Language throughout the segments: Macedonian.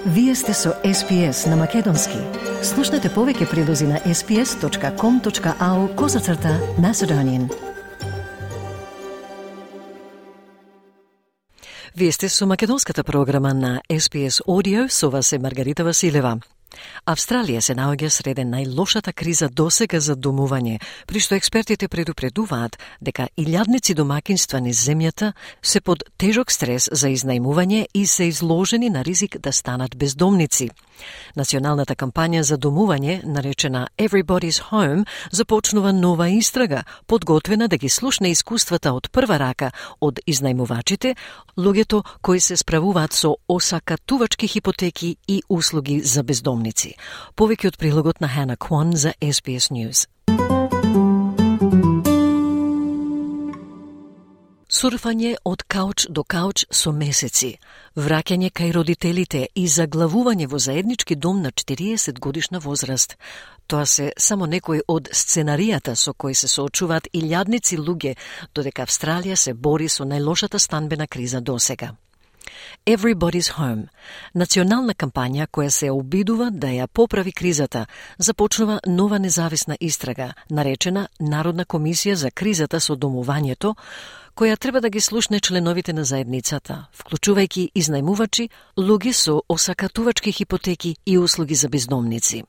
Вие сте со SPS на Македонски. Слушнете повеќе прилози на sps.com.au/Macedonian. Вие сте со македонската програма на SPS Audio, со вас е Маргарита Василева. Австралија се наоѓа среде најлошата криза досега за домување, при што експертите предупредуваат дека илјадници домакинства низ земјата се под тежок стрес за изнајмување и се изложени на ризик да станат бездомници. Националната кампања за домување, наречена Everybody's Home, започнува нова истрага, подготвена да ги слушне искуствата од прва рака од изнајмувачите, луѓето кои се справуваат со осакатувачки хипотеки и услуги за бездомници. Повеќе од прилогот на Hannah Kwan за SBS News. Сурфање од кауч до кауч со месеци, враќање кај родителите и заглавување во заеднички дом на 40 годишна возраст. Тоа се само некои од сценаријата со кои се соочуваат илјадници луѓе, додека Австралија се бори со најлошата станбена криза досега. Everybody's Home, национална кампања која се обидува да ја поправи кризата, започнува нова независна истрага, наречена Народна комисија за кризата со домувањето, која треба да ги слушне членовите на заедницата, вклучувајќи изнајмувачи, луѓе со осакатувачки хипотеки и услуги за бездомници.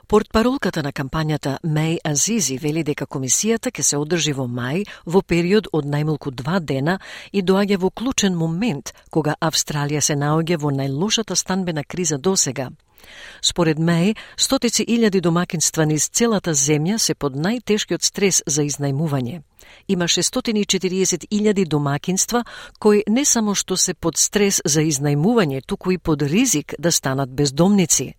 Портпаролката на кампањата Меј Азизи вели дека комисијата ќе се одржи во мај во период од најмалку 2 дена и доаѓа во клучен момент кога Австралија се наоѓа во најлошата станбена криза досега. Според Меј, стотици илјади домакинства низ целата земја се под најтешкиот стрес за изнајмување. Има 640.000 домакинства кои не само што се под стрес за изнајмување, туку и под ризик да станат бездомници.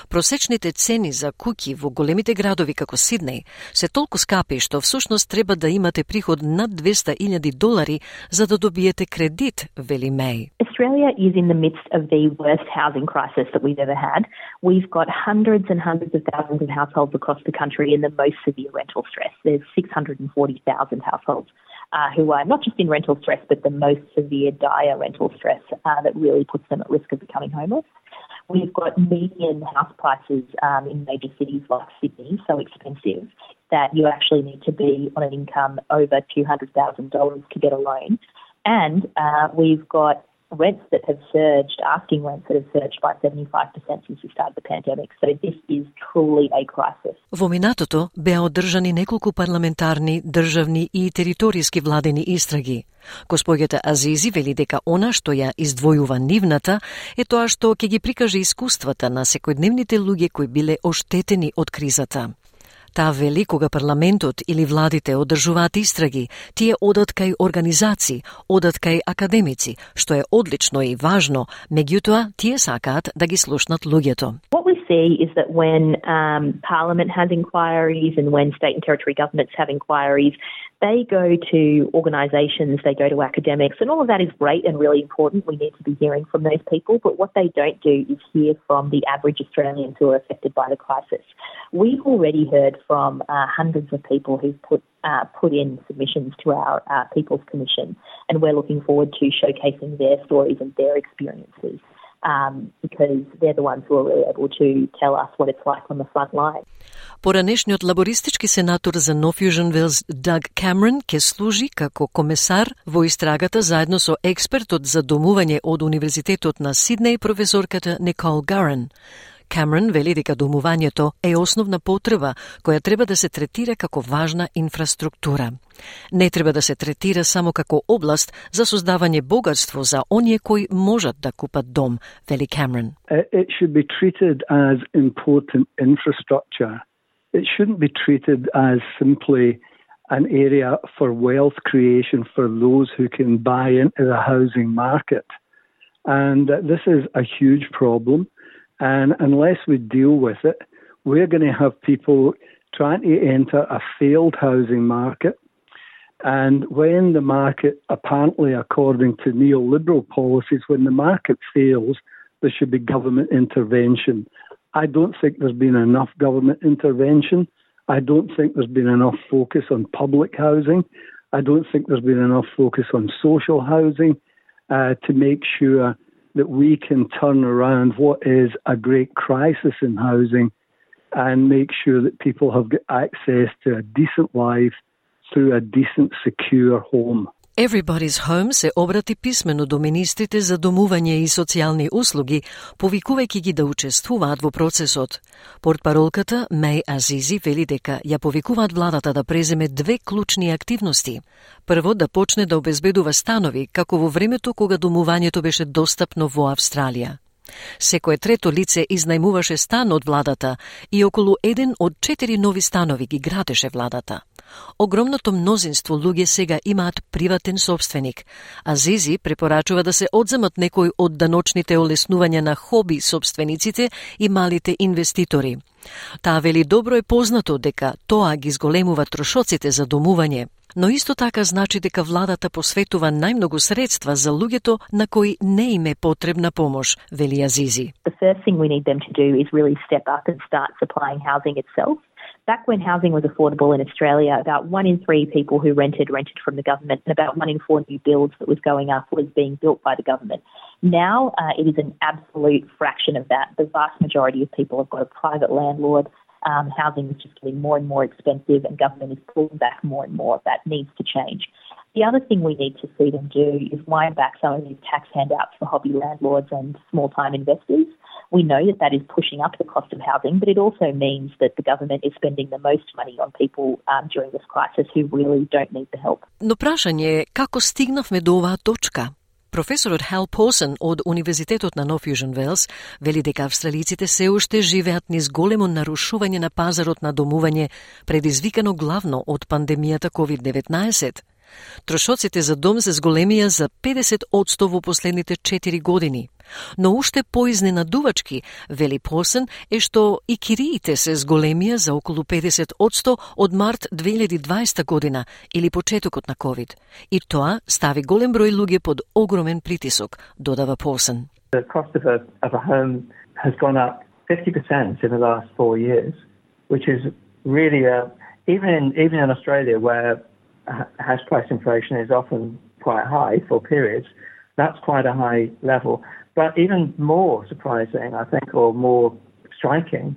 Просечните цени за куќи во големите градови како Сиднеј се толку скапи што всушност треба да имате приход над $200,000 за да добиете кредит, вели Меј. Australia is in the midst of the worst housing crisis that we've ever had. We've got hundreds and hundreds of thousands of households across the country in the most severe rental stress. There's 640,000 households who are not just in rental stress, but the most severe, dire rental stress that really puts them at risk of becoming homeless. We've got median house prices in major cities like Sydney so expensive that you actually need to be on an income over $200,000 to get a loan. And we've got rents that have surged, asking rents that have surged by 75% since we started the pandemic. So this is truly a crisis. Во минатото беа одржани неколку парламентарни, државни и територијски владени истраги. Госпоѓата Азизи вели дека она што ја издвојува нивната е тоа што ќе ги прикаже искуствата на секојдневните луѓе кои биле оштетени од кризата. Таа вели кога парламентот или владите одржуваат истраги, тие одат кај организации, одат кај академици, што е одлично и важно, меѓутоа тие сакаат да ги слушнат луѓето. What we see is that when Parliament has inquiries and when state and territory governments have inquiries, they go to organisations, they go to academics, and all of that is great and really important. We need to be hearing from those people, but what they don't do is hear from the average Australians who are affected by the crisis. We've already heard from hundreds of people who've put in submissions to our People's Commission, and we're looking forward to showcasing their stories and their experiences. Because they're the ones who are really able to tell us what it's like on the front line. Поранешниот лабористички сенатор за Нов Јужен Велс Даг Камерон ќе служи како комесар во истрагата заедно со експертот за домување од Универзитетот на Сиднеј професорката Никол Гарен. Камерон вели дека домувањето е основна потреба која треба да се третира како важна инфраструктура. Не треба да се третира само како област за создавање богатство за оние кои можат да купат дом, вели Камерон. It should be treated as important infrastructure. It shouldn't be treated as simply an area for wealth creation for those who can buy into the housing market. And this is a huge problem. And unless we deal with it, we're going to have people trying to enter a failed housing market. And when the market, apparently according to neoliberal policies, when the market fails, there should be government intervention. I don't think there's been enough government intervention. I don't think there's been enough focus on public housing. I don't think there's been enough focus on social housing to make sure that we can turn around what is a great crisis in housing and make sure that people have got access to a decent life through a decent, secure home. Everybody's Home се обрати писмено до министрите за домување и социјални услуги, повикувајќи ги да учествуваат во процесот. Портпаролката Меј Азизи вели дека ја повикуваат владата да преземе две клучни активности. Прво, да почне да обезбедува станови, како во времето кога домувањето беше достапно во Австралија. Секое трето лице изнајмуваше стан од владата и околу 1 од 4 нови станови ги градеше владата. Огромното мнозинство луѓе сега имаат приватен собственик, а Зизи препорачува да се одземат некои од даночните олеснувања на хоби собствениците и малите инвеститори. Таа вели добро е познато дека тоа ги зголемува трошоците за домување, но исто така значи дека владата посветува најмногу средства за луѓето на кои не им е потребна помош, вели Азизи. The first thing we need them to do is really step up and start supplying housing itself. Back when housing was affordable in Australia, about 1 in 3 people who rented from the government, and about 1 in 4 new builds that was going up was being built by the government. Now it is an absolute fraction of that. The vast majority of people have got a private landlord. Housing is just getting more and more expensive, and government is pulling back more and more. That needs to change. The other thing we need to see them do is wind back some of these tax handouts for hobby landlords and small-time investors. We know that is pushing up the cost of housing, but it also means that the government is spending the most money on people during this crisis who really don't need the help. Но прашање е како стигнавме до оваа точка? Професорот Хал Посен од Универзитетот на Нов Јужен Велс вели дека австралиците се уште живеат низ големо нарушување на пазарот на домување, предизвикано главно од пандемијата COVID-19. Трошоците за дом се зголемија за 50% во последните 4 години. Но уште поизненадувачки, вели Посен, е што и кириите се зголемија за околу 50% од март 2020 година или почетокот на COVID. И тоа стави голем број луѓе под огромен притисок, додава Посен. The cost of a home has gone up 50% in the last 4 years, which is really even in Australia where house price inflation is often quite high for periods. That's quite a high level. But even more surprising, I think, or more striking,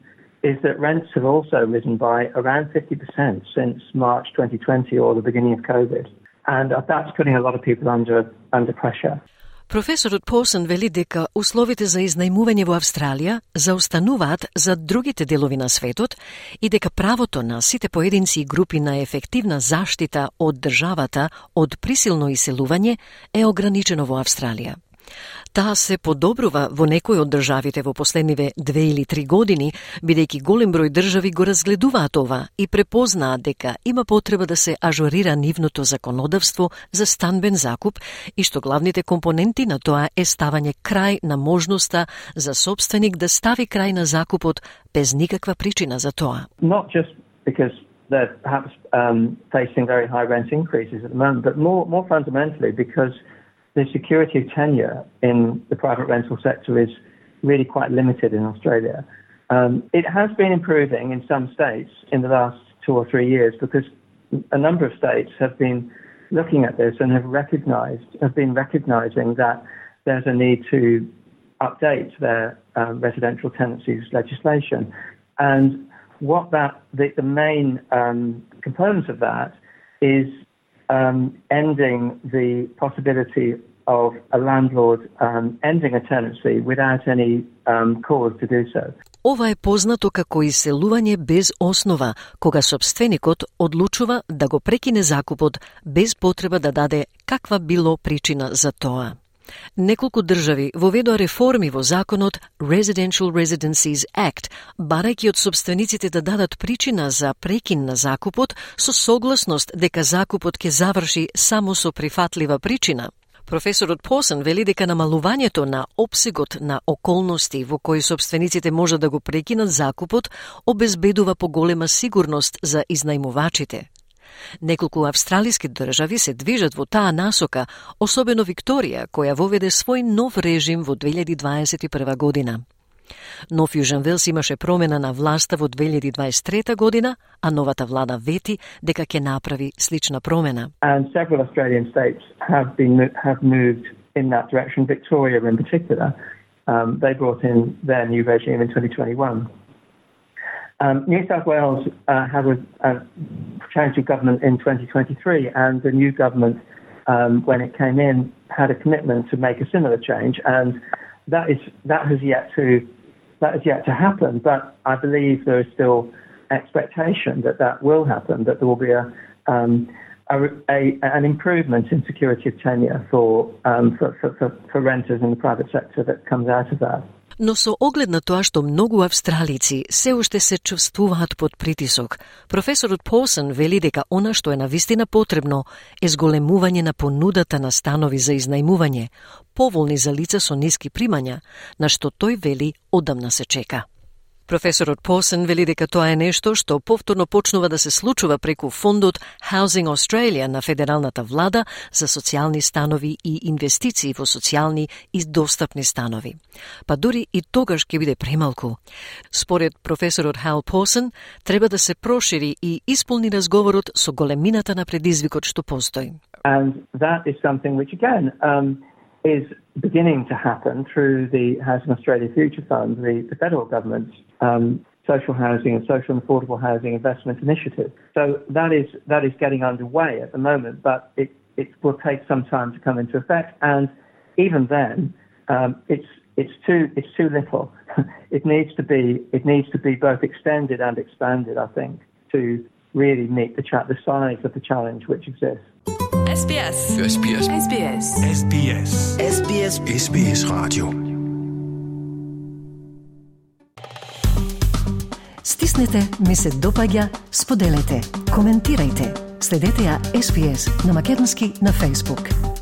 is that rents have also risen by around 50% since March 2020 or the beginning of COVID. And that's putting a lot of people under pressure. Професорот Посен вели дека условите за изнајмување во Австралија заостануваат за другите делови на светот и дека правото на сите поединци и групи на ефективна заштита од државата од присилно иселување е ограничено во Австралија. Таа се подобрува во некои од државите во последниве 2 или 3 години, бидејќи голем број држави го разгледуваат ова и препознаат дека има потреба да се ажурира нивното законодавство за станбен закуп и што главните компоненти на тоа е ставање крај на можноста за собственик да стави крај на закупот без никаква причина за тоа. Not just because they're perhaps facing very high rent increases at the moment, but more fundamentally because the security of tenure in the private rental sector is really quite limited in Australia. It has been improving in some states in the last 2 or 3 years because a number of states have been looking at this and have been recognizing that there's a need to update their residential tenancies legislation. And what the main components of that is ending the possibility of a landlord ending a tenancy without any cause to do so. Ова е познато како иселување без основа, кога собственикот одлучува да го прекине закупот без потреба да даде каква било причина за тоа. Неколку држави воведоа реформи во законот Residential Residencies Act, барајќи од собствениците да дадат причина за прекин на закупот со согласност дека закупот ќе заврши само со прифатлива причина. Професорот Посен вели дека намалувањето на опсегот на околности во кои собствениците може да го прекинат закупот обезбедува поголема сигурност за изнајмувачите. Неколку австралиски држави се движат во таа насока, особено Викторија, која воведе свој нов режим во 2021 година. Нов Јужен Велс имаше промена на власта во 2023 година, а новата влада вети дека ќе направи слична промена. And several Australian states have moved in that direction. Victoria, in particular, they brought in their new regime in 2021. New South Wales had a change of government in 2023, and the new government, when it came in, had a commitment to make a similar change, and that has yet to happen. But I believe there is still expectation that will happen, that there will be an improvement in security of tenure for renters in the private sector that comes out of that. Но со оглед на тоа што многу австралици се уште се чувствуваат под притисок, професорот Pawson вели дека она што е навистина потребно е зголемување на понудата на станови за изнајмување, поволни за лица со ниски примања, на што тој вели одамна се чека. Професорот Pawson вели дека тоа е нешто што повторно почнува да се случува преку фондот Housing Australia на федералната влада за социјални станови и инвестиции во социјални и достапни станови. Па дури и тогаш ќе биде премалку. Според професорот Hal Pawson, треба да се прошири и исполни разговорот со големината на предизвикот што постои. And that is something which again is beginning to happen through the Housing Australia Future Fund, the federal government's social housing and social and affordable housing investment initiative. So that is getting underway at the moment, but it will take some time to come into effect. And even then, it's too little. It needs to be both extended and expanded, I think, to really meet the size of the challenge which exists. SBS. SBS. SBS. SBS. SBS. SBS Radio. Стиснете, ми се допаѓа, споделете, коментирајте. Следете ја SBS на македонски на Facebook.